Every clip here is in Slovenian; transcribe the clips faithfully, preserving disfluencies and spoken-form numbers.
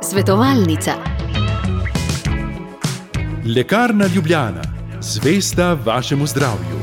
Svetovalnica. Lekarna Ljubljana, zvesta vašemu zdravju.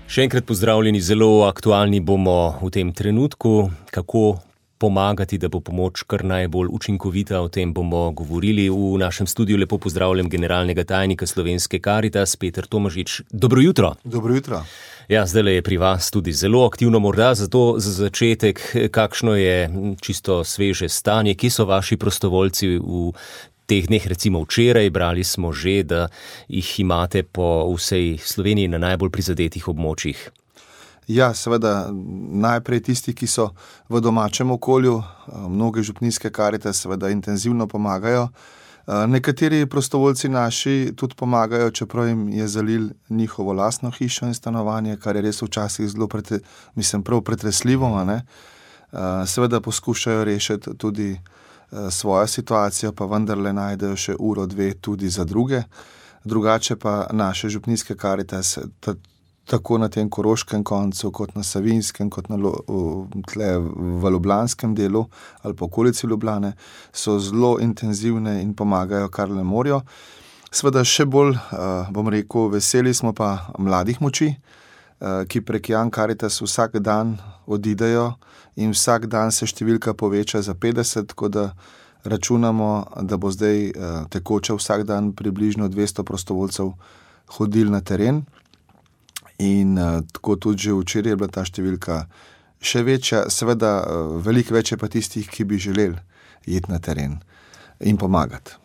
Še enkrat pozdravljeni, zelo aktualni bomo v tem trenutku, kako pomagati, da bo pomoč kar najbolj učinkovita. O tem bomo govorili. V našem studiu lepo pozdravljam generalnega tajnika Slovenske Karitas, Peter Tomažič. Dobro jutro. Dobro jutro. Ja, zdajle je pri vas tudi zelo aktivno, morda zato za začetek, kakšno je čisto sveže stanje, kje so vaši prostovoljci v teh dneh, recimo včeraj, brali smo že, da jih imate po vsej Sloveniji na najbolj prizadetih območjih. Ja, seveda, najprej tisti, ki so v domačem okolju, mnoge župnijske Karitas seveda intenzivno pomagajo. Nekateri prostovoljci naši tudi pomagajo, čeprav jim je zalil njihovo lastno hišo in stanovanje, kar je res včasih zelo, prete, mislim, prav pretresljivo, ne? Seveda poskušajo rešiti tudi svojo situacijo, pa vendarle najdejo še uro, dve tudi za druge. Drugače pa naše župnijske Karitas, tako na tem koroškem koncu, kot na savinjskem, kot na tle v ljubljanskem delu ali po okolici Ljubljane, so zelo intenzivne in pomagajo, kar le morajo. Seveda še bolj, bom rekel, veseli smo pa mladih moči, ki prek Young Karitas vsak dan odidejo in vsak dan se številka poveča za petdeset, tako da računamo, da bo zdaj tekoče vsak dan približno dvesto prostovoljcev hodil na teren. In uh, tako tudi že včeraj je bila ta številka še večja, seveda uh, veliko več je pa tistih, ki bi želeli iti na teren in pomagati.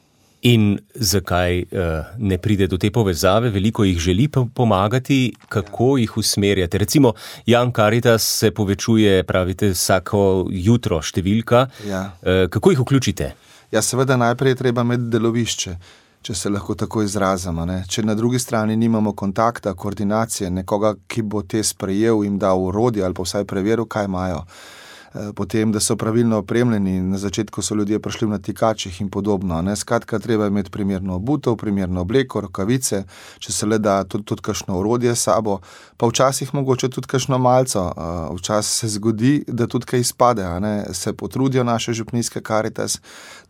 In zakaj uh, ne pride do te povezave? Veliko jih želi pomagati, kako ja. jih usmerjate? Recimo, Young Karitas se povečuje, pravite, vsako jutro številka. Ja. Uh, kako jih vključite? Ja, seveda najprej je treba imeti delovišče, če se lahko tako izrazimo, ne. Če na drugi strani nimamo kontakta, koordinacije, nekoga, ki bo te sprejel, jim dal orodje ali pa vsaj preveril, kaj imajo. Potem, da so pravilno opremljeni, na začetku so ljudje prišli v natikačih in podobno, ne. Skratka, treba imeti primerno obutev, primerno obleko, rokavice, če se le da tudi, tudi kakšno orodje s sabo, pa včasih mogoče tudi kakšno malco. Včasih se zgodi, da tudi kaj izpade, a ne. Se potrudijo naše župnijske Karitas,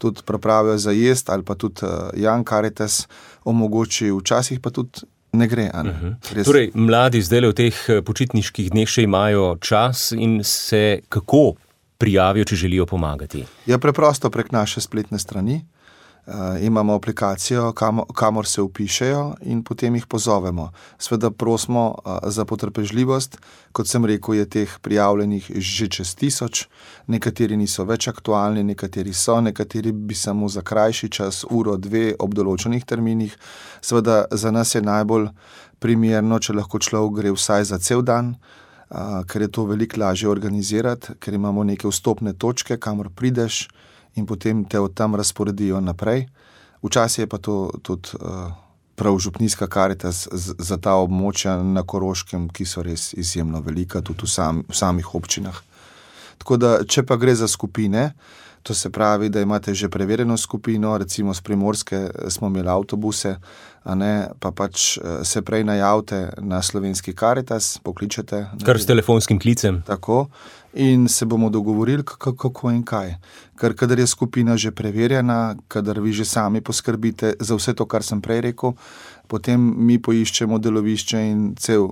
tudi pripravijo za jest ali pa tudi Young Karitas omogoči, včasih pa tudi ne gre. A ne? Uh-huh. Torej, mladi zdaj v teh počitniških dneh še imajo čas in se kako prijavijo, če želijo pomagati? Ja, preprosto prek naše spletne strani. Uh, imamo aplikacijo, kam, kamor se vpišejo in potem jih pozovemo. Sveda prosimo uh, za potrpežljivost. Kot sem rekel, je teh prijavljenih že čez tisoč. Nekateri niso več aktualni, nekateri so, nekateri bi samo za krajši čas, uro, dve, ob določenih terminih. Sveda za nas je najbolj primerno, če lahko človek gre vsaj za cel dan, uh, ker je to veliko lažje organizirati, ker imamo neke vstopne točke, kamor prideš, in potem te od tam razporedijo naprej. Včasih je pa to tudi uh, prav župnijska Karitas z, za ta območja na Koroškem, ki so res izjemno velika, tudi v, sam, v samih občinah. Tako da, če pa gre za skupine, to se pravi, da imate že preverjeno skupino, recimo z Primorske smo imeli avtobuse, a ne, pa pač se prej najavite na Slovenski Karitas, pokličete. Kar s telefonskim klicem. Tako. In se bomo dogovorili, kako in kaj. Ker kadar je skupina že preverjena, kadar vi že sami poskrbite za vse to, kar sem prej rekel, potem mi poiščemo delovišče in cel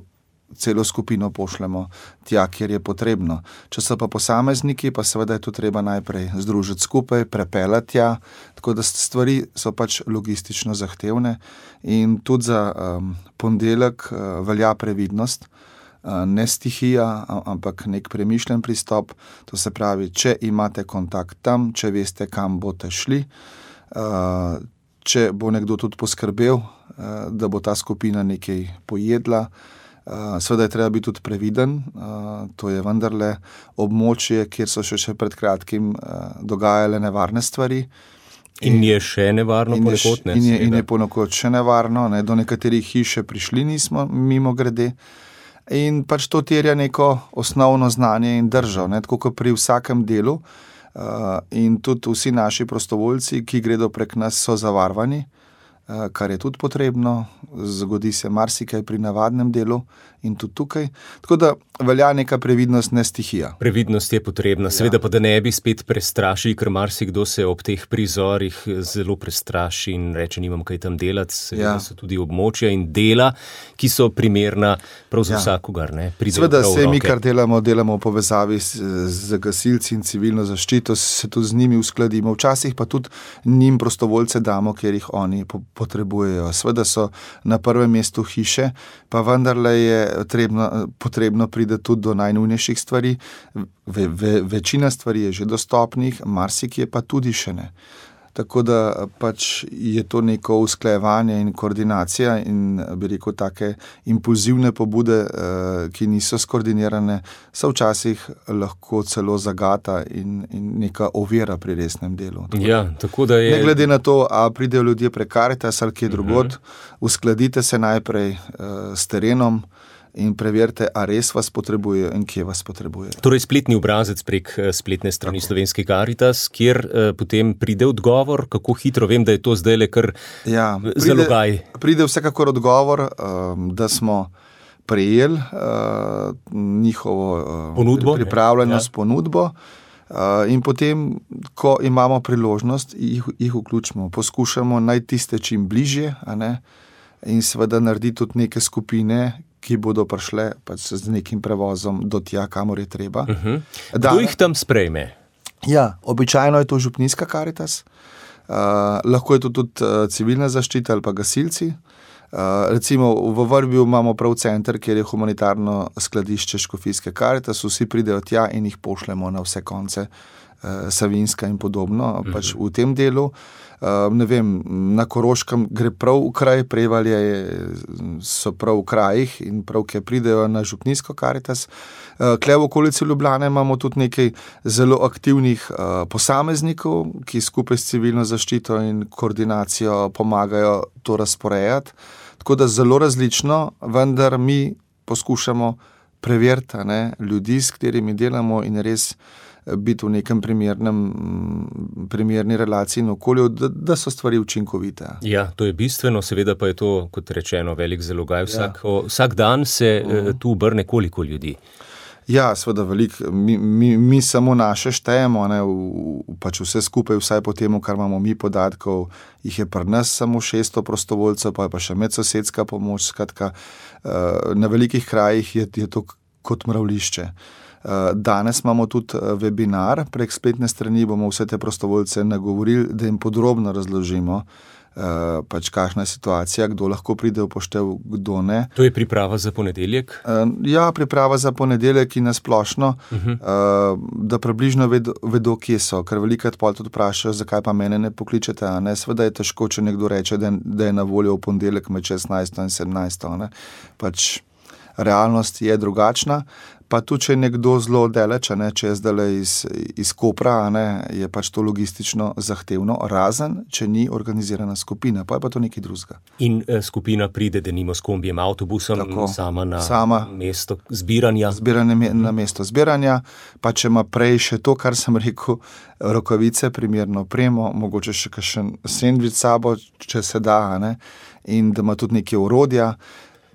celo skupino pošljemo tja, kjer je potrebno. Če so pa posamezniki, pa seveda je to treba najprej združiti skupaj, prepeljati tja, tako da stvari so pač logistično zahtevne in tudi za um, ponedeljek uh, velja previdnost, uh, ne stihija, ampak nek premišljen pristop, to se pravi, če imate kontakt tam, če veste, kam boste šli, uh, če bo nekdo tudi poskrbel, uh, da bo ta skupina nekaj pojedla. Uh, seveda je treba biti tudi previden, uh, to je vendarle območje, kjer so še, še pred kratkim uh, dogajale nevarne stvari. In, in je še nevarno ponekod, ne? In je, in je ponekod še nevarno, ne? Do nekaterih hiše prišli nismo mimo grede. In pač to terja neko osnovno znanje in držo, ne? Tako kot pri vsakem delu. Uh, in tudi vsi naši prostovoljci, ki gredo prek nas, so zavarvani, kar je tudi potrebno, zgodi se marsikaj pri navadnem delu in tudi tukaj. Tako da velja neka previdnost, ne stihija. Previdnost je potrebna, seveda ja. Pa da ne bi spet prestrašili, ker marsikdo se ob teh prizorih zelo prestraši in reče, nimam kaj tam delati, seveda ja. So tudi območja in dela, ki so primerna prav za ja. Vsakogar. Seveda se mi, kar delamo, delamo v povezavi z, z gasilci in civilno zaščito, se tudi z njimi uskladimo, včasih pa tudi njim prostovoljce damo, ker jih oni po, potrebujejo. Seveda so na prvem mestu hiše, pa vendarle je trebno, potrebno pride tudi do najnujnejših stvari. Ve, ve, večina stvari je že dostopnih, marsikje pa tudi še ne. Tako da pač je to neko usklajevanje in koordinacija in bi rekel take impulzivne pobude, ki niso skoordinirane, so včasih lahko celo zagata in, in neka ovira pri resnem delu. Tako, ja, tako da je... Ne glede na to, a pridejo ljudje prek Karitas ali kje drugod, uh-huh. uskladite se najprej uh, s terenom in preverite, a res vas potrebujejo in kje vas potrebujejo. Torej spletni obrazec prek spletne strani Tako. Slovenski Karitas, kjer eh, potem pride odgovor, kako hitro, vem, da je to zdaj le kar ja, pride, zalogaj. Pride vsekakor odgovor, um, da smo prejeli uh, njihovo uh, ponudbo, pripravljenost ja. Ponudbo uh, in potem, ko imamo priložnost, jih, jih vključimo. Poskušamo najti tiste čim bližje, a ne? In seveda narediti tudi neke skupine, ki bodo prišle pač z nekim prevozom do tja, kamor je treba. Uh-huh. Kdo jih tam sprejme? Ja, običajno je to župnijska Karitas, uh, lahko je to tudi uh, civilna zaščita ali pa gasilci. Uh, recimo v Vrbju imamo prav center, kjer je humanitarno skladišče Škofijske Karitas, vsi pridejo tja in jih pošljemo na vse konce uh, Savinjska in podobno, uh-huh. pač v tem delu. Uh, ne vem, na Koroškem gre prav v kraj, Prevalje so prav v krajih in prav, ki pridejo na župnijsko Karitas. Uh, Kle v okolici Ljubljane imamo tudi nekaj zelo aktivnih uh, posameznikov, ki skupaj s civilno zaščito in koordinacijo pomagajo to razporejati. Tako da zelo različno, vendar mi poskušamo preveriti ne, ljudi, s katerimi delamo in res biti v nekem primernem, primerni relaciji in okolju, da, da so stvari učinkovite. Ja, to je bistveno, seveda pa je to, kot rečeno, velik zalogaj. Vsak, ja. o, vsak dan se uh-huh. tu obrne koliko ljudi? Ja, seveda veliko. Mi, mi, mi samo naše štejemo, ne, v, v, pač vse skupaj, vsaj po temu, kar imamo mi podatkov, jih je pri nas samo šeststo prostovoljcev, pa je pa še medsosedska pomoč, skratka, uh, na velikih krajih je, je to kot mravlišče. Danes imamo tudi webinar, prek spletne strani bomo vse te prostovoljce nagovorili, da jim podrobno razložimo, pač kakšna je situacija, kdo lahko pride v poštev, kdo ne. To je priprava za ponedeljek? Ja, priprava za ponedeljek in nasplošno, uh-huh. da približno vedo, vedo, kje so, ker velikokrat pol tudi vprašajo, zakaj pa mene ne pokličete, a ne, seveda je težko, če nekdo reče, da, da je na voljo v ponedeljek med šestnajsto in sedemnajsto, ne, pač realnost je drugačna. Pa tudi, če je nekdo zelo daleč, ne, če je zdaj iz, iz Kopra, ne, je pač to logistično zahtevno, razen, če ni organizirana skupina, pa je pa to nekaj drugega. In eh, skupina pride, denimo s kombijem, avtobusom, Tako, sama na sama mesto zbiranja. Zbiranje me, na mesto zbiranja, pa če ima prej še to, kar sem rekel, rokavice, primerno opremo, mogoče še kakšen sendvič sabo, če se da, ne, in da ima tudi neke orodja,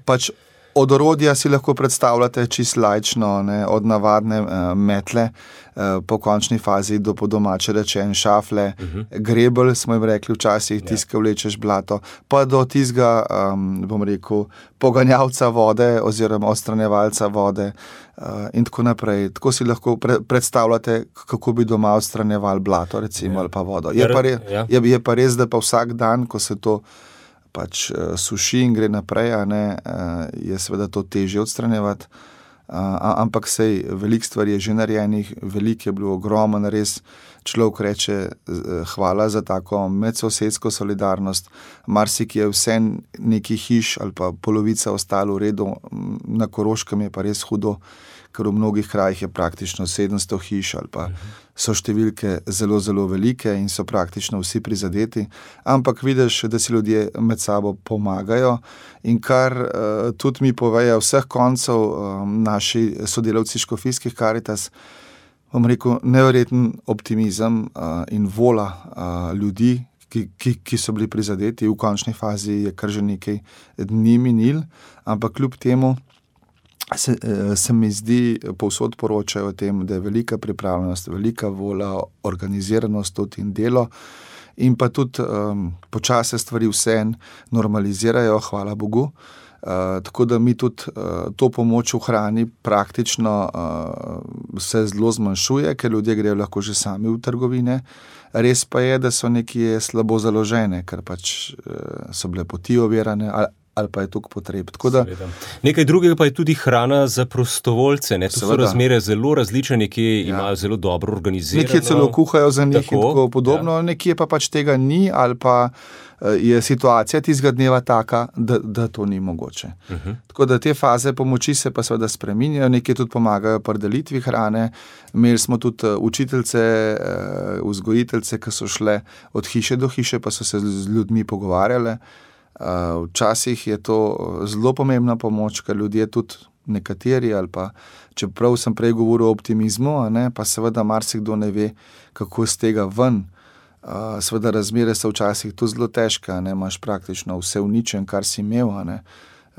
pač od orodja si lahko predstavljate čisto laično, ne, od navadne uh, metle uh, po končni fazi do po domače rečen šafle, uh-huh. grebelj, smo jim rekli včasih, yeah. tiska vlečeš blato, pa do tizga, um, bom rekel, poganjavca vode oziroma odstranjevalca vode uh, in tako naprej. Tako si lahko pre- predstavljate, kako bi doma odstranjeval blato, recimo, yeah. ali pa vodo. Je pa, re- yeah. je, je pa res, da pa vsak dan, ko se to pač uh, suši in gre naprej, a ne, uh, je seveda to težje odstranjevati, uh, ampak sej, veliko stvari je že narejenih, veliko je bilo ogromen, res človek reče uh, hvala za tako medsosedsko solidarnost, marsik je vse neki hiš ali pa polovica ostalo v redu, na Koroškem je pa res hudo, ker v mnogih krajih je praktično sedemsto hiš ali pa so številke zelo, zelo velike in so praktično vsi prizadeti, ampak vidiš, da si ljudje med sabo pomagajo in kar uh, tudi mi povejo vseh koncev um, naši sodelavci Škofijskih Karitas, bom rekel, neverjeten optimizem uh, in vola uh, ljudi, ki, ki, ki so bili prizadeti. V končni fazi je kar že nekaj dni minil, ampak kljub temu se, se mi zdi, povsod poročajo o tem, da je velika pripravljenost, velika volja, organiziranost tudi in delo. In pa tudi um, počase stvari vseeno normalizirajo, hvala Bogu. Uh, tako da mi tudi uh, to pomoč v hrani praktično uh, se zelo zmanjšuje, ker ljudje grejo lahko že sami v trgovine. Res pa je, da so nekje slabo založene, ker pač uh, so bile poti ovirane ali, ali pa je tukaj potreb. Tako da, nekaj drugega pa je tudi hrana za prostovoljce. Ne? To so razmere zelo različne, nekje ja. imajo zelo dobro organizirano. Nekje celo kuhajo za njih tako, in tako podobno, ja. nekje pa pač tega ni ali pa je situacija tistega dneva taka, da, da to ni mogoče. Uh-huh. Tako da te faze pomoči se pa seveda spreminjajo, nekje tudi pomagajo pri delitvi hrane. Imeli smo tudi učiteljce, vzgojiteljce, ki so šle od hiše do hiše, pa so se z ljudmi pogovarjale. Včasih je to zelo pomembna pomoč, ker ljudje tudi nekateri ali pa, čeprav sem prej govoril o optimizmu, a ne, pa seveda marsikdo ne ve, kako z tega ven. Uh, seveda razmere so včasih tu zelo težke, ne, imaš praktično vse uničen, kar si imel, ne,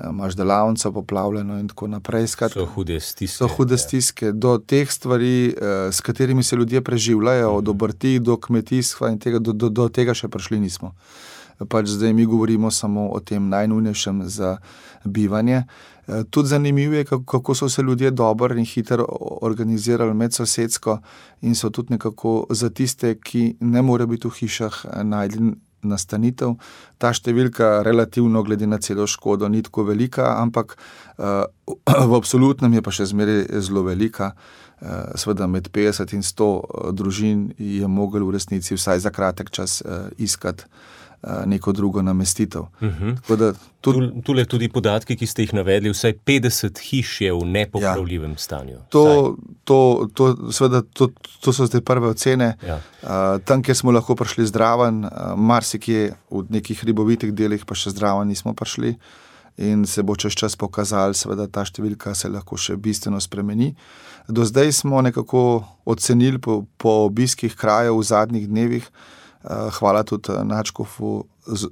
imaš delavnico poplavljeno in tako naprej. Skratka, so hude stiske. So hude stiske. Do teh stvari, uh, s katerimi se ljudje preživljajo, od obrti do kmetijstva in tega, do, do, do tega še prišli nismo. Pač zdaj mi govorimo samo o tem najnujnejšem za bivanje. Tudi zanimivo je, kako so se ljudje dobro in hitro organizirali medsosedsko in so tudi nekako za tiste, ki ne morejo biti v hišah, najdli nastanitev. Ta številka relativno glede na celo škodo ni tako velika, ampak v absolutnem je pa še zmeraj zelo velika. Seveda med petdeset in sto družin je mogel v resnici vsaj za kratek čas iskati neko drugo namestitev. Uh-huh. Da, tudi, Tule tudi podatki, ki ste jih navedli, vsaj petdeset hiš je v nepopravljivem ja. stanju. To, to, to, seveda, to, to so zdaj prve ocene. Ja. Uh, tam, kjer smo lahko prišli zdraven, uh, marsikje v nekih hribovitih delih pa še zdraven nismo prišli in se bo čez čas pokazali, seveda ta številka se lahko še bistveno spremeni. Do zdaj smo nekako ocenili po, po obiskih krajev v zadnjih dnevih. Hvala tudi nadškofu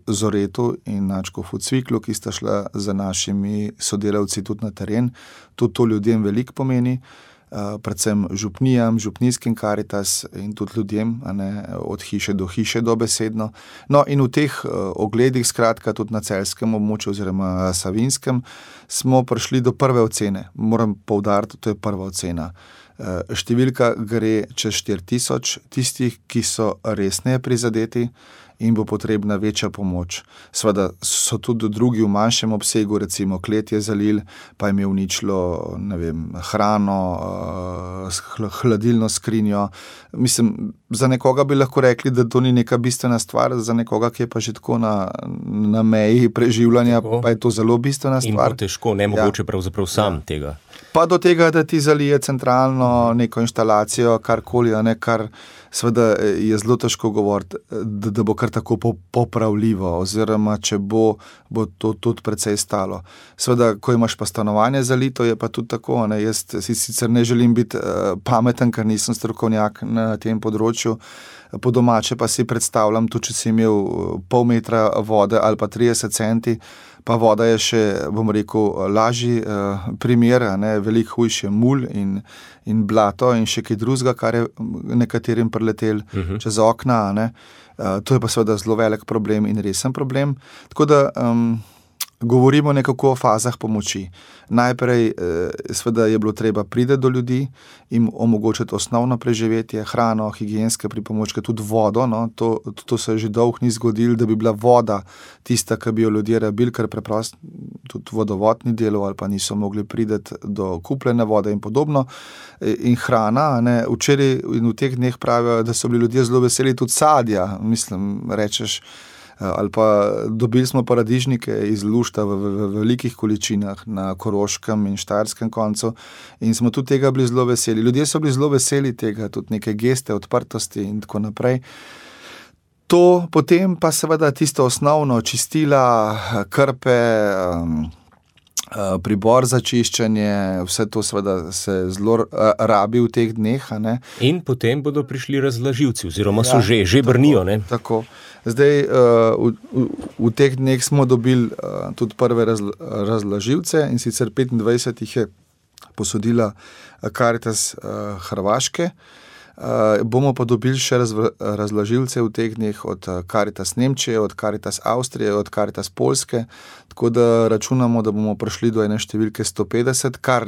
Zoretu in nadškofu Cviklu, ki sta šla za našimi sodelavci tudi na teren. Tudi to ljudem veliko pomeni, predvsem župnijam, župnijskim Karitas in tudi ljudem, a ne, od hiše do hiše dobesedno. No in v teh ogledih, skratka tudi na celjskem območju oziroma savinskem, smo prišli do prve ocene. Moram poudariti, to je prva ocena. Številka gre čez štiri tisoč tistih, ki so resneje prizadeti in bo potrebna večja pomoč. Sveda so tudi drugi v manjšem obsegu, recimo klet je zalil, pa jim je uničilo, ne vem, hrano, hladilno skrinjo. Mislim, za nekoga bi lahko rekli, da to ni neka bistvena stvar, za nekoga, ki je pa že tako na, na meji preživljanja, tako. Pa je to zelo bistvena stvar. In bo težko, nemogoče ja. pravzaprav sam ja. tega. Pa do tega, da ti zalije centralno neko inštalacijo, karkoli, a ne, kar seveda je zelo težko govoriti, da, da bo kar tako popravljivo, oziroma če bo, bo to tudi precej stalo. Seveda, ko imaš pa stanovanje zalito, je pa tudi tako, ne, jaz si sicer ne želim biti uh, pameten, ker nisem strokovnjak na tem področju, po domače pa si predstavljam, tudi če si imel pol metra vode ali pa trideset centi, pa voda je še, bom rekel, lažji uh, primer, ne, veliko hujše mul in, in blato in še kaj drugega, kar je nekaterim preletel uh-huh. čez okna, ne. Uh, to je pa seveda zelo velik problem in resen problem. Tako da um, govorimo nekako o fazah pomoči. Najprej seveda je bilo treba priti do ljudi, jim omogočiti osnovno preživetje, hrano, higienske pripomočke, tudi vodo. No, to, to se že dolgo ni zgodilo, da bi bila voda tista, ki bi jo ljudje rabili, ker preprosto tudi vodovod ni delal ali pa niso mogli priti do kupljene vode in podobno. In hrana, ne, včeraj in v teh dneh pravijo, da so bili ljudje zelo veseli tudi sadja, mislim, rečeš, ali pa dobili smo paradižnike iz lušta v, v, v velikih količinah na Koroškem in Štajerskem koncu in smo tudi tega bili zelo veseli. Ljudje so bili zelo veseli tega, tudi neke geste, odprtosti in tako naprej. To potem pa seveda tisto osnovno, čistila, krpe, um, pribor za čiščenje, vse to seveda se zelo rabi v teh dneh. A ne? In potem bodo prišli razlaživci, oziroma so ja, že, že brnijo. Tako, ne? Tako. Zdaj, v, v, v teh dneh smo dobili tudi prve razla, razlaživce in sicer petindvajset jih je posodila Karitas Hrvaške. Uh, bomo pa dobili še razv- razložilce v teh dneh od Karitas Nemčije, od Karitas Avstrije, od Karitas Poljske, tako da računamo, da bomo prišli do ene številke sto petdeset, kar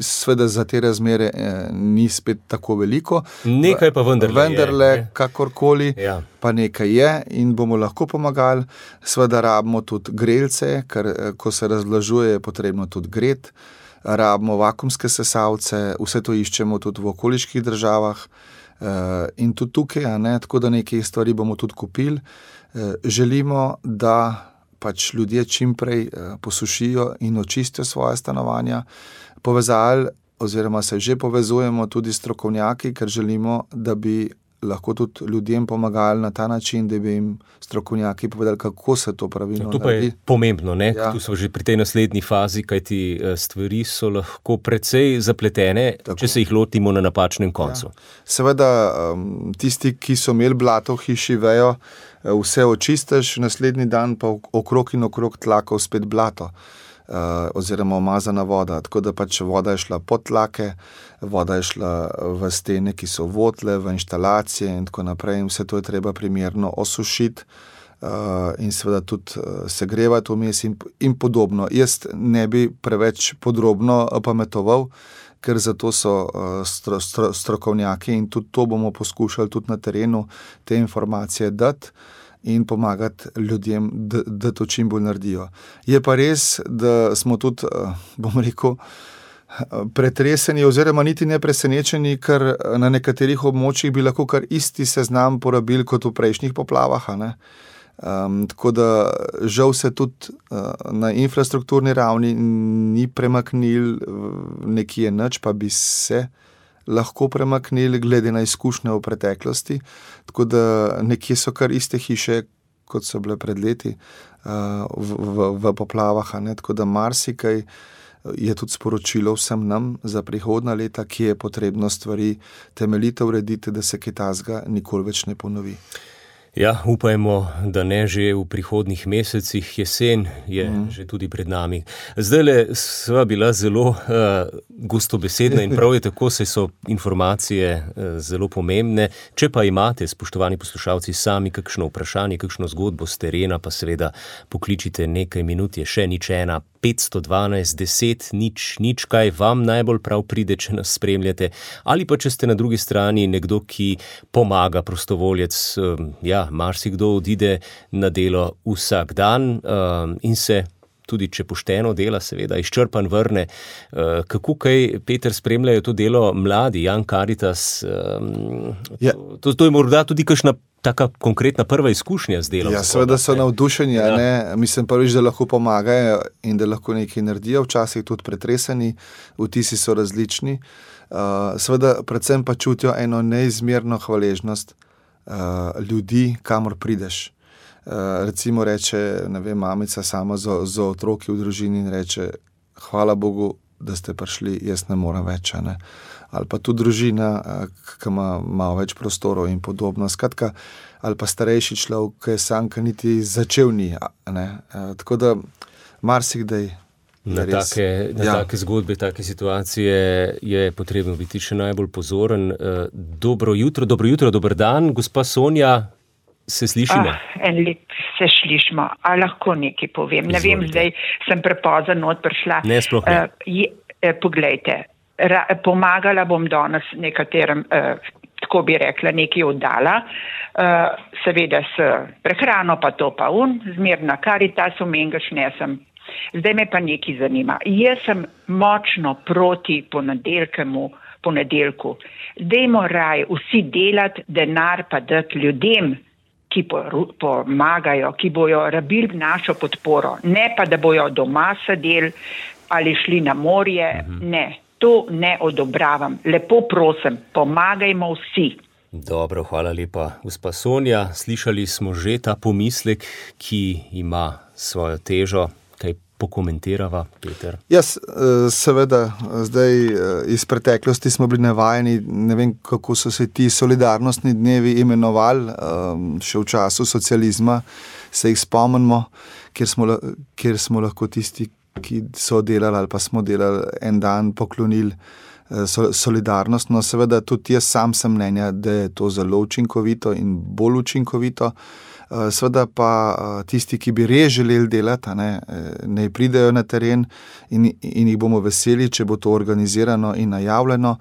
sveda za te razmere eh, ni spet tako veliko. Nekaj pa vendarle, vendarle je. Kakorkoli, Ja. pa nekaj je in bomo lahko pomagali. Sveda rabimo tudi grelce, ker eh, ko se razložuje, je potrebno tudi gret. Rabimo vakuumske sesalce, vse to iščemo tudi v okoliških državah uh, in tudi tukaj, a ne, tako da nekaj stvari bomo tudi kupili. Uh, želimo, da pač ljudje čim prej uh, posušijo in očistijo svoje stanovanja. Povezali oziroma se že povezujemo tudi strokovnjaki, ker želimo, da bi lahko tudi ljudem pomagali na ta način, da bi jim strokovnjaki povedali, kako se to pravilno To pa je naredi. pomembno, ne? Ja. Tu smo že pri tej naslednji fazi, kajti stvari so lahko precej zapletene, Tako. če se jih lotimo na napačnem koncu. Ja. Seveda, um, tisti, ki so imeli blato v hiši, vejo, vse očistiš, naslednji dan pa okrog in okrog tlakov spet blato. Uh, oziroma umazana voda, tako da pač voda je šla pod tlake, voda je šla v stene, ki so votle, v inštalacije in tako naprej, in vse to je treba primerno osušiti uh, in seveda tudi uh, segrevati vmes in, in podobno. Jaz ne bi preveč podrobno pametoval, ker zato so uh, stro, stro, strokovnjaki in tudi to bomo poskušali tudi na terenu te informacije dati in pomagati ljudem, da, da to čim bolj naredijo. Je pa res, da smo tudi, bom rekel, pretreseni oziroma niti ne presenečeni, ker na nekaterih območjih bi lahko kar isti seznam porabili kot v prejšnjih poplavah. A ne? Um, tako da žal se tudi uh, na infrastrukturni ravni ni premaknil nekje nič, pa bi se lahko premaknili glede na izkušnje v preteklosti, tako da nekje so kar iste hiše, kot so bile pred leti uh, v, v, v poplavah, a ne? Tako da marsikaj je tudi sporočilo vsem nam za prihodnja leta, ki je potrebno stvari temeljito urediti, da se kaj takega nikoli več ne ponovi. Ja, upajmo, da ne že v prihodnih mesecih, jesen je mm. že tudi pred nami. Zdajle sva bila zelo uh, gostobesedna in prav je tako, saj so informacije uh, zelo pomembne. Če pa imate, spoštovani poslušalci, sami kakšno vprašanje, kakšno zgodbo z terena, pa seveda pokličite nekaj minut, je še nič ena, petsto dvanajst, deset, nič, nič, kaj vam najbolj prav pride, če nas spremljate, ali pa če ste na drugi strani nekdo, ki pomaga, prostovoljec, um, ja, marsikdo odide na delo vsak dan um, in se tudi, če pošteno dela, seveda izčrpan vrne. Uh, kako kaj, Peter, spremljajo to delo mladi, Young Caritas? Um, Ja. to, to je morda tudi kakšna taka konkretna prva izkušnja z delom. Ja, zahoda, seveda so ne? navdušeni, Ja. ja. ne? Mislim prvič, da lahko pomagajo in da lahko nekaj naredijo, včasih tudi pretreseni, vtisi so različni. Uh, seveda predvsem pa čutijo eno neizmerno hvaležnost uh, ljudi, kamor prideš. Uh, recimo reče, ne vem, mamica sama z, z otroki v družini in reče, hvala Bogu, da ste prišli, jaz ne morem več, a ne. Ali pa tudi družina, ki ima malo več prostorov in podobno. Skratka, ali pa starejši človek, ki je sam, ki niti začel ni. Ne? Tako da marsikdaj Na, res, take, na ja. take zgodbe, take situacije je potrebno biti še najbolj pozoren. Dobro jutro, dobro jutro, dober dan, gospa Sonja, se slišimo? Ah, en lep se slišimo. A lahko nekaj povem? Ne vem, zdaj sem prepozen not prišla. Ne, sploh ne. Uh, je, eh, poglejte, ra, pomagala bom danes nekaterem, uh, tako bi rekla, nekaj oddala. Uh, seveda s prehrano pa to pa un, zmerna Karitasu, mengaš nesem. Zdaj me pa nekaj zanima. Jaz sem močno proti ponedeljkemu, ponedeljku. Dajmo raj vsi delati, denar pa dati ljudem, ki pomagajo, ki bojo rabili našo podporo. Ne pa, da bojo doma sedeli ali šli na morje. Mhm. Ne, to ne odobravam. Lepo prosim, pomagajmo vsi. Dobro, hvala lepa, gospa Sonja. Slišali smo že ta pomislek, ki ima svojo težo. Kaj pokomentirava, Peter? Jaz, seveda, zdaj iz preteklosti smo bili navajeni, ne vem, kako so se ti solidarnostni dnevi imenovali, še v času socializma se jih spomnimo, kjer smo, kjer smo lahko tisti, ki so delali ali pa smo delali en dan, poklonili solidarnost. No, seveda tudi jaz sam sem mnenja, da je to zelo učinkovito in bolj učinkovito. Seveda pa tisti, ki bi res želeli delati, ne, ne pridejo na teren in, in jih bomo veseli, če bo to organizirano in najavljeno.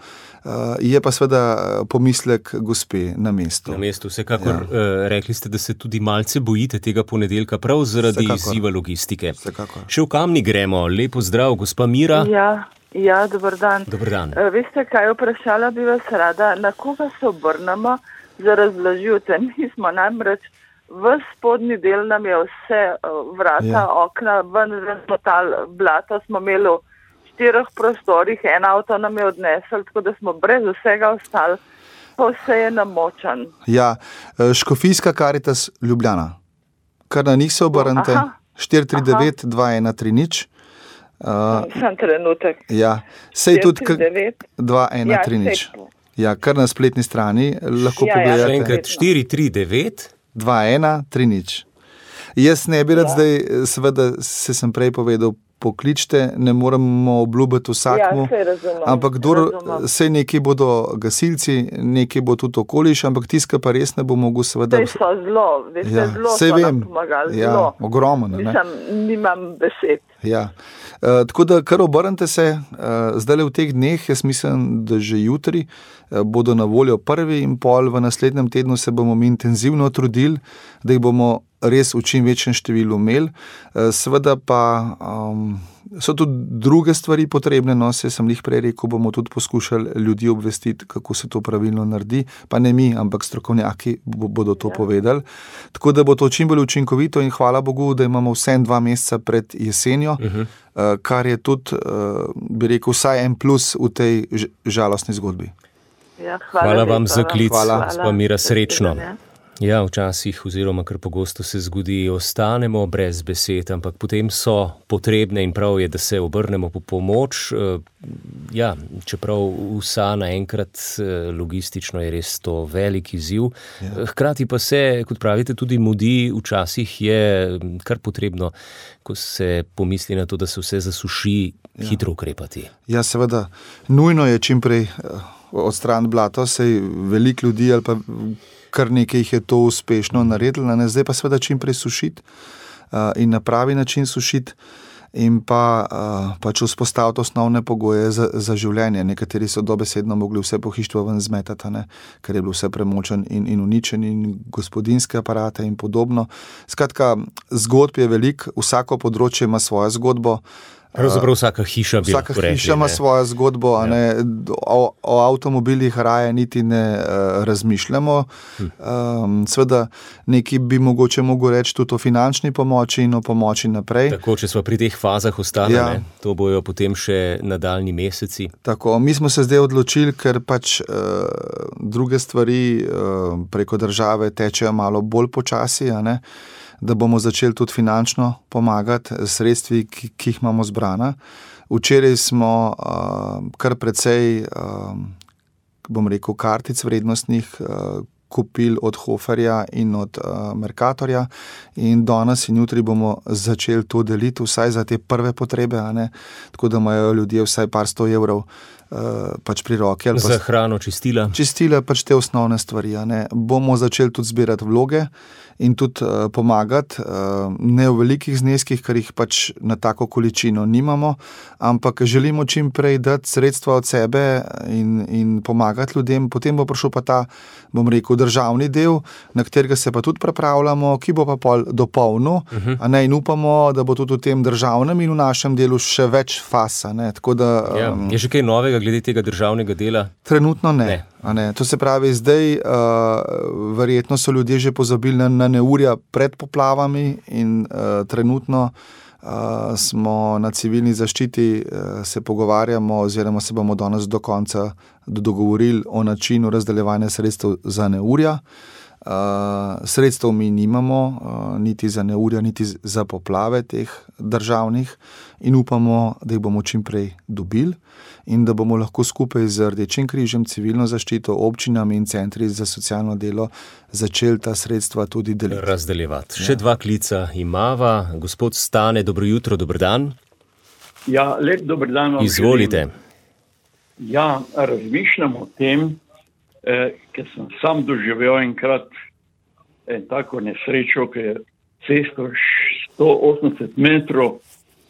Je pa seveda pomislek gospe na mestu. Na mestu, vsekakor. Ja. Rekli ste, da se tudi malce bojite tega ponedeljka, prav zaradi izziva logistike. Vsekakor. Še v Kamnik gremo. Lepo zdrav, gospa Mira. Ja, ja, dober dan. Dober dan. Veste, kaj vprašala bi vas rada? Na koga se obrnemo za razložitve? Mi smo namreč v spodnji del nam je vse vrata, ja. okna, ven razmotal, blato smo imeli v štirih prostorih, en avto nam je odnesel, tako da smo brez vsega ostali, pa vse je namočan. Ja, Škofijska Karitas Ljubljana. Kar na njih se obrnite, štiri tri devet dva ena tri nič. Uh, Sam trenutek. Ja, sej tudi dva ena tri nič. Ja, kar na spletni strani lahko ja, pogledate. Ja, še enkrat štiri tri devet dva ena tri nič. Jaz ne bi rad ja. zdaj, seveda se sem prej povedal, pokličte, ne moramo obljubiti vsakmu, ja, razumem, ampak sej nekaj bodo gasilci, nekaj bo tudi okoliš, ampak tiska pa res ne bo mogel seveda... Sej so zelo, veste, ja, zelo so vem, nam pomagali, ja, zelo. Ogromno, ne? Mislim, nimam besed. Ja. Uh, tako da kar obrnite se, uh, zdaj v teh dneh, jaz mislim, da že jutri uh, bodo na voljo prvi in pol, v naslednjem tednu se bomo mi intenzivno trudili, da jih bomo res v čim večjem številu imeli. Uh, seveda pa um, so tudi druge stvari potrebne, no, se sem jih prej rekel, bomo tudi poskušali ljudi obvestiti, kako se to pravilno naredi, pa ne mi, ampak strokovnjaki bodo to ja. povedali. Tako da bo to čim bolj učinkovito in hvala Bogu, da imamo vsem dva meseca pred jesenjo, uh-huh. uh, kar je tudi, uh, bi rekel, vsaj en plus v tej žalostni zgodbi. Ja, hvala, hvala vam za klic, hvala. Mira, srečno. Ja, včasih oziroma kar pogosto se zgodi, ostanemo brez besed, ampak potem so potrebne in prav je, da se obrnemo po pomoč. Ja, čeprav vsa naenkrat logistično je res to velik izziv. Ja. Hkrati pa se, kot pravite, tudi mudi, včasih je kar potrebno, ko se pomisli na to, da se vse zasuši, ja. hitro ukrepati. Ja, seveda, nujno je čimprej odstraniti blato, sej veliko ljudi ali pa kar nekaj jih je to uspešno naredilo, ne? Zdaj pa seveda čim prej sušiti uh, in na pravi način sušiti in pa uh, pač vzpostaviti osnovne pogoje za, za življenje. Nekateri so dobesedno mogli vse pohištvo ven zmetati, ne? Ker je bilo vse premočen in, in uničen in gospodinske aparate in podobno. Skratka, zgodb je veliko, vsako področje ima svojo zgodbo. Pravzaprav vsaka hiša bi Vsaka hiša ima svojo zgodbo, ja. a ne, o, o avtomobilih raje niti ne uh, razmišljamo. Hm. Um, Sveda nekaj bi mogoče mogel reči tudi o finančni pomoči in o pomoči naprej. Tako, če smo pri teh fazah ostali, ja. ne, to bojo potem še nadaljni meseci. Tako, mi smo se zdaj odločili, ker pač uh, druge stvari uh, preko države tečejo malo bolj počasi, a ne, da bomo začeli tudi finančno pomagati sredstvi, ki, ki jih imamo zbrana. Včeraj smo uh, kar precej, uh, bom rekel, kartic vrednostnih uh, kupili od Hoferja in od uh, Mercatorja in danes in jutri bomo začeli to deliti vsaj za te prve potrebe, a ne? Tako da imajo ljudje vsaj par sto evrov uh, pač pri roki. Ali pa za hrano, čistila. Čistila, pač te osnovne stvari, a ne? Bomo začeli tudi zbirati vloge in tudi uh, pomagati, uh, ne v velikih zneskih, ker jih pač na tako količino nimamo, ampak želimo čim prej dati sredstva od sebe in, in pomagati ljudem. Potem bo prišel pa ta, bom rekel, državni del, na katerega se pa tudi pripravljamo, ki bo pa pol dopolnil, uh-huh. a ne, in upamo, da bo tudi v tem državnem in v našem delu še več fasa. Ne? Tako da, ja, um, je že kaj novega glede tega državnega dela? Trenutno ne. ne. A ne. To se pravi, zdaj uh, verjetno so ljudje že pozabili na, na neurja pred poplavami in uh, trenutno uh, smo na civilni zaščiti, uh, se pogovarjamo oziroma se bomo danes do konca dogovorili o načinu razdeljevanja sredstev za neurja. Uh, sredstev mi nimamo, uh, niti za neurja, niti za poplave teh državnih in upamo, da jih bomo čim prej dobili in da bomo lahko skupaj z Rdečim križem, civilno zaščito, občinami in centri za socialno delo začeli ta sredstva tudi deliti. Razdeljevati. Ja. Še dva klica imava. Gospod Stane, dobro jutro, dober dan. Ja, lep dober dan vam. Izvolite. Želim. Ja, razmišljam o tem, eh, ker sem sam doživel enkrat en tako nesrečo, ki je cesto sto osemdeset metrov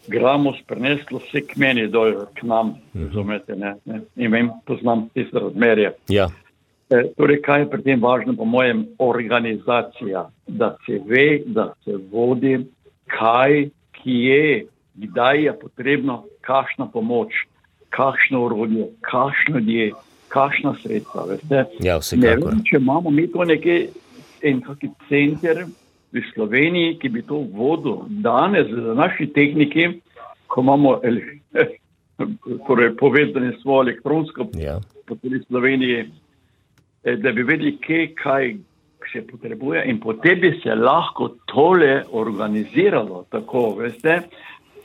gramos preneslo vse k meni dol, k nam, razumete, ne, ne, in vem, poznam tiste razmerje. Ja. E, torej, kaj je pri tem važno, po mojem, organizacija, da se ve, da se vodi, kaj, kje, kdaj je potrebno, kakšna pomoč, kakšno orodje, kakšno ljudje, kakšna sredstva, veste. Ja, vsekakor. Ne vem, če imamo mi to nekaj, en kaki center v Sloveniji, ki bi to vodil danes z naši tehniki, ko imamo torej povezane svoje elektronsko ja. po tudi Sloveniji, da bi vedeli, kje, kaj se potrebuje in potem bi se lahko tole organiziralo tako, veste,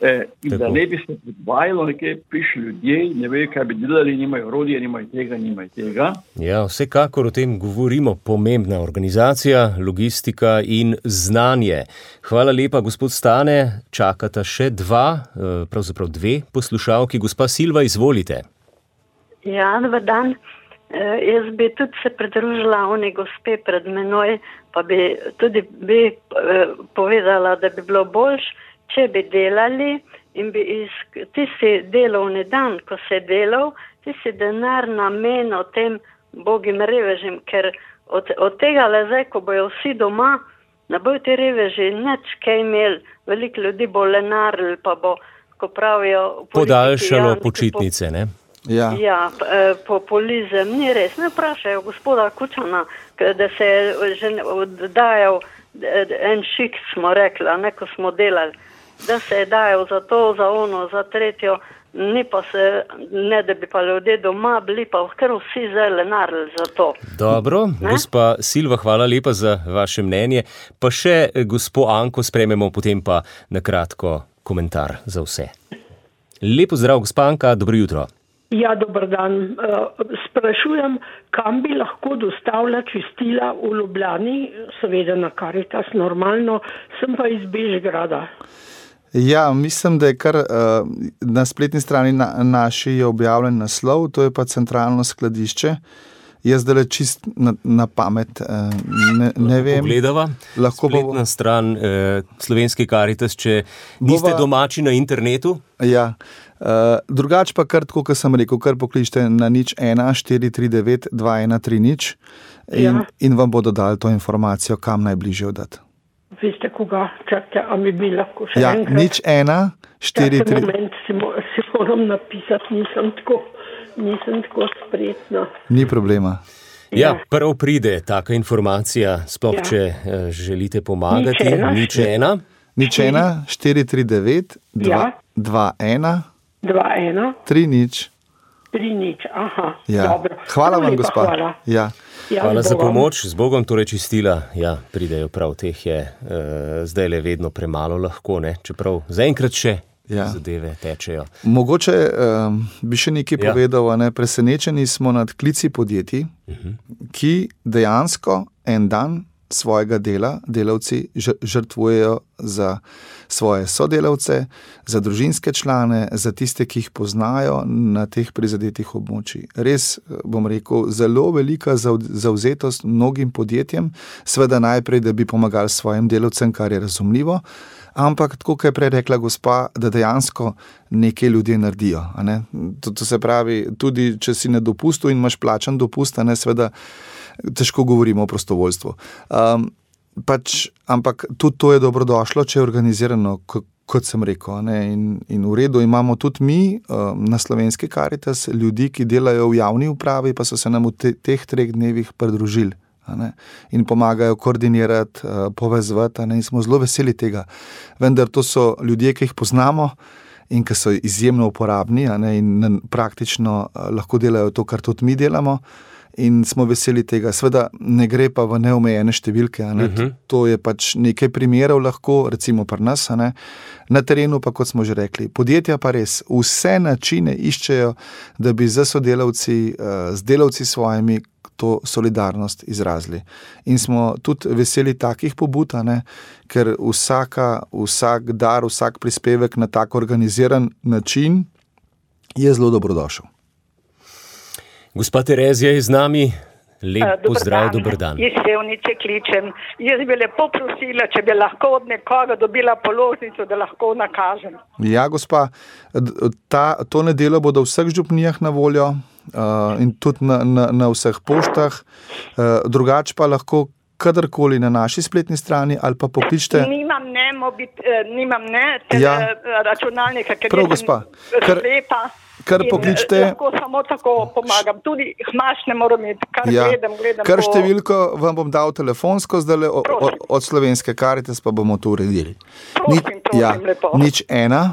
eh, in tako. Da ne bi se podvajalo, nekaj piše ljudje, ne vejo, kaj bi delali, nimajo orodje, nimajo tega, nimajo tega. Ja, vsekakor o tem govorimo, pomembna organizacija, logistika in znanje. Hvala lepa, gospod Stane, čakata še dva, pravzaprav dve poslušalki. Gospa Silva, izvolite. Ja, dober dan. Uh, jaz bi tudi se pridružila oni gospe pred menoj, pa bi tudi bi uh, povedala, da bi bilo boljš, če bi delali in bi iz tisti delovni dan, ko se delal, tisti denar namenil tem bogim revežim, ker od, od tega le zdaj, ko bojo vsi doma, ne bojo ti reveži nič kaj imeli, veliko ljudi bo lenarili, pa bo, ko pravijo... Podaljšalo počitnice, ne? Ja, ja populizem ni res. Ne vprašajo gospoda Kučana, da se je že oddajal en šik, smo rekli, ne, ko smo delali, da se je dajal za to, za ono, za tretjo, ni pa se, ne da bi pa ljudje doma bili, pa kar vsi zdaj lenarili za to. Dobro, ne? Gospa Silva, hvala lepa za vaše mnenje. Pa še gospo Anko sprememo, potem pa na kratko komentar za vse. Lepo zdrav, gospa Anka, dobro jutro. Ja, dober dan. Sprašujem, kam bi lahko dostavila čistila v Ljubljani, seveda na Karitas, normalno, sem pa iz Bežgrada. Ja, mislim, da je kar na spletni strani naši je objavljen naslov, to je pa centralno skladišče. Jaz zdaj čist na, na pamet, ne, ne vem. Pogledava, lahko spletna bo... stran eh, Slovenski Karitas, če niste Bova... domači na internetu. Ja, uh, drugače pa kar tako, kot sem rekel, kar pokličite na nič ena štiri tri devet dva ena tri nič in, ja. in vam bodo dali to informacijo, kam najbližje oddati. Veste koga, čakajte, a mi bi lahko še ja, enkrat? nič ena štiri tri... moment, si, mo si moram napisati, nisem tako, nisem tako spretna. Ni problema. Ja, prvo pride taka informacija, sploh ja. če uh, želite pomagati. Nič ena. Nič ena. Nič ena, štiri tri devet, dva ena, dva ena, tri nič. Tri nič, aha, ja. dobro. Hvala vam, gospa. Hvala, ja. Ja, hvala za pomoč, z Bogom torej čistila. Ja, pridejo prav, teh je uh, zdaj le vedno premalo lahko, ne? Čeprav zaenkrat še ja. zadeve tečejo. Mogoče um, bi še nekaj ja. povedal, ne? Presenečeni smo nad klici podjetij, uh-huh. ki dejansko en dan svojega dela delavci žrtvujejo za svoje sodelavce, za družinske člane, za tiste, ki jih poznajo na teh prizadetih območjih. Res, bom rekel, zelo velika zavzetost mnogim podjetjem, seveda najprej, da bi pomagali svojim delavcem, kar je razumljivo, ampak tako, kot je prej rekla gospa, da dejansko nekaj ljudje naredijo. A ne? To, to se pravi, tudi če si na dopustu in imaš plačan dopust, a ne, seveda težko govorimo o prostovoljstvu. Um, pač, ampak tudi to je dobrodošlo, če je organizirano, kot sem rekel. Ne? In, in v redu imamo tudi mi um, na Slovenski Karitas ljudi, ki delajo v javni upravi, pa so se nam v te, teh treh dnevih pridružili. In pomagajo koordinirati, uh, povezvati, in smo zelo veseli tega. Vendar to so ljudje, ki jih poznamo in ki so izjemno uporabni, in praktično uh, lahko delajo to, kar tudi mi delamo. In smo veseli tega. Sveda ne gre pa v neomejene številke. Ne? Uh-huh. To je pač nekaj primerov lahko, recimo pri nas. Ne? Na terenu pa, kot smo že rekli, podjetja pa res vse načine iščejo, da bi z sodelavci, z delavci svojimi to solidarnost izrazili. In smo tudi veseli takih pobud, ne, ker vsaka, vsak dar, vsak prispevek na tak organiziran način je zelo dobrodošel. Gospa Terezija je z nami. Lep pozdrav, dober dan. Iz Sevnice kličem. Jaz bi lepo prosila, če bi lahko od nekoga dobila položnico, da lahko nakažem. Ja, gospa, ta, to nedeljo bodo v vseh župnijah na voljo uh, in tudi na, na, na vseh poštah. Uh, drugače pa lahko kadarkoli na naši spletni strani ali pa pokličite. Nimam ne, mobit, eh, nimam ne tele, ja. računalnika, ker prav, gospa, kar, slepa. Kar pokličite. Lahko samo tako pomagam. Tudi hmaš ne moram imeti, kar ja. gledam, gledam. Kar po... številko vam bom dal telefonsko, zdaj od, od Slovenske Karitas pa bomo to uredili. Prosim, Ni, prosim, ja, lepo. Nič ena.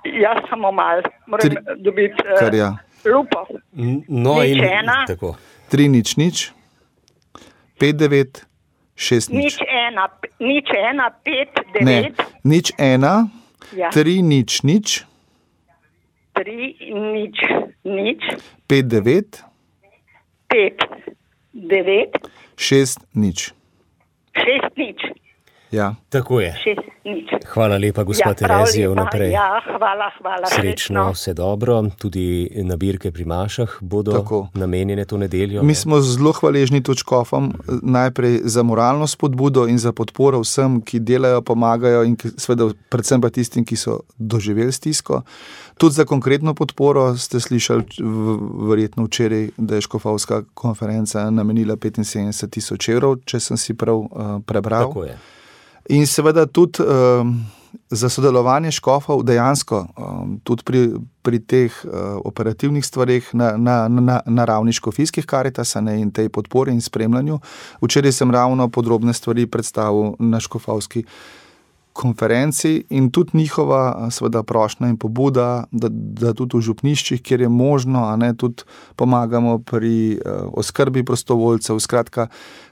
Ja, samo mal. Moram Tri, dobiti uh, kar, ja. lupo. No, nič in, ena. Tako. Tri nič nič. Pet devet. Šest nič. Nič ena, nič ena, pet, devet. Ne, nič ena, ja. tri nič nič. Tri nič nič. Pet devet. Pet devet. Šest nič. Šest nič. Ja. Tako je. Šest nič. Hvala lepa, gospa ja, Terezija, vnaprej. Ja, hvala, hvala. Srečno, vse dobro. Tudi nabirke pri mašah bodo tako namenjene to nedeljo. Mi smo zelo hvaležni točkofom, najprej za moralno spodbudo in za podporo vsem, ki delajo, pomagajo in ki, seveda, predvsem pa tistim, ki so doživeli stisko. Tudi za konkretno podporo ste slišali verjetno včeraj, da je škofovska konferenca namenila petinsedemdeset tisoč evrov, če sem si prav uh, prebral. Tako je. In seveda tudi um, za sodelovanje škofov dejansko um, tudi pri, pri teh uh, operativnih stvareh na, na, na, na ravni škofijskih Karitasa in tej podpori in spremljanju. Včeraj sem ravno podrobne stvari predstavil na škofovski konferenci in tudi njihova seveda prošnja in pobuda, da, da tudi v župniščih, kjer je možno, a ne, tudi pomagamo pri uh, oskrbi prostovoljcev, skratka,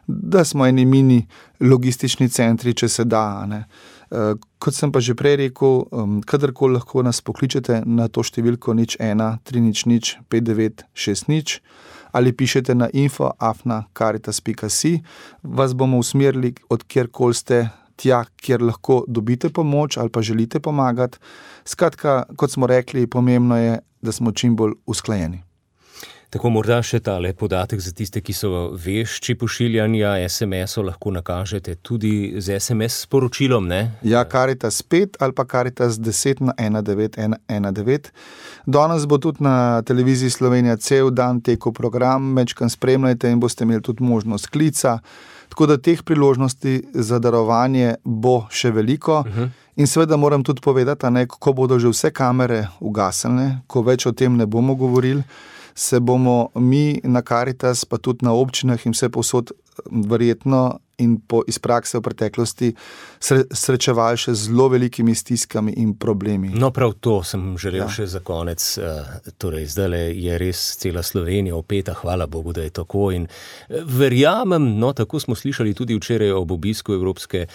da smo eni mini logistični centri, če se da. Ne. Uh, kot sem pa že prej rekel, um, kadarkoli lahko nas pokličete na to številko nič ena, tri nič nič, pet devet, šest nič ali pišete na info afna karitas pika si, vas bomo usmerili od kjerkoli ste tja, kjer lahko dobite pomoč ali pa želite pomagati. Skratka, kot smo rekli, pomembno je, da smo čim bolj usklajeni. Tako morda še tale podatek za tiste, ki so vešči pošiljanja es em esov, lahko nakažete tudi z es em es sporočilom, ne? Ja, Karitas pet ali pa Karitas deset na ena devet ena ena devet. Danes bo tudi na televiziji Slovenija cel dan tekel program, mečkan spremljajte in boste imeli tudi možnost klica. Tako da teh priložnosti za darovanje bo še veliko. Uh-huh. In seveda moram tudi povedati, ne, ko bodo že vse kamere ugasnile, ko več o tem ne bomo govorili, se bomo mi na Karitas, pa tudi na občinah in vse povsod verjetno in po, iz prakse v preteklosti sre, srečevali še z zelo velikimi stiskami in problemi. No, prav to sem želel ja. še za konec. Torej, zdaj je res cela Slovenija opeta, hvala Bogu, da je tako. In verjamem, no, tako smo slišali tudi včeraj ob obisku Evropske,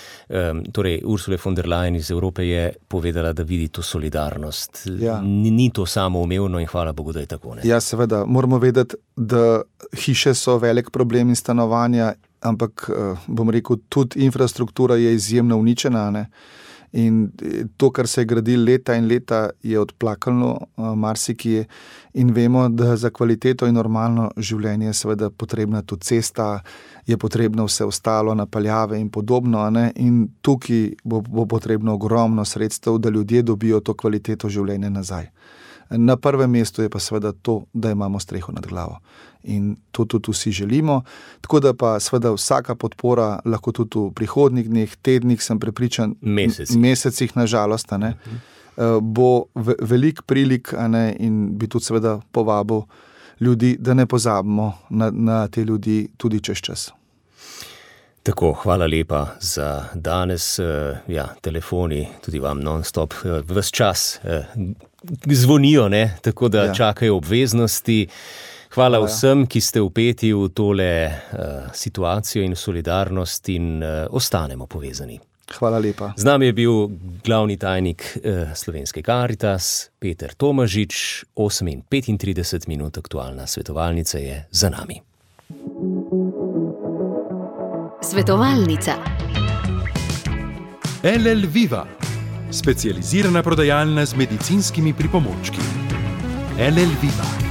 torej Ursule von der Leyen iz Evrope je povedala, da vidi to solidarnost. Ja. Ni, ni to samoumevno in hvala Bogu, da je tako. Ne? Ja, seveda, moramo vedeti, da hiše so velik problem in stanovanja, ampak, bom rekel, tudi infrastruktura je izjemno uničena, ne? In to, kar se je gradilo leta in leta, je odplakano marsikje in vemo, da za kvaliteto in normalno življenje je seveda potrebna tudi cesta, je potrebno vse ostalo, napeljave in podobno, ne? In tukaj bo, bo potrebno ogromno sredstev, da ljudje dobijo to kvaliteto življenja nazaj. Na prvem mestu je pa seveda to, da imamo streho nad glavo. In to tudi vsi želimo. Tako da pa seveda vsaka podpora lahko tudi v prihodnjih dneh, tednih, sem prepričan, mesecih, mesecih nažalost, ne, uh-huh. bo velik prilik, a ne, in bi tudi seveda povabil ljudi, da ne pozabimo na, na te ljudi tudi čez čas. Tako, hvala lepa za danes. Ja, telefoni tudi vam non-stop ves čas zvonijo, ne? Tako da ja. Čakajo obveznosti. Hvala, hvala vsem, ki ste vpeti v tole uh, situacijo in solidarnost in uh, ostanemo povezani. Hvala lepa. Z nami je bil glavni tajnik uh, Slovenske Karitas, Peter Tomažič. osem in petintrideset minut aktualna svetovalnica je za nami. Svetovalnica. L L Viva, specializirana prodajalna z medicinskimi pripomočki. L L Viva.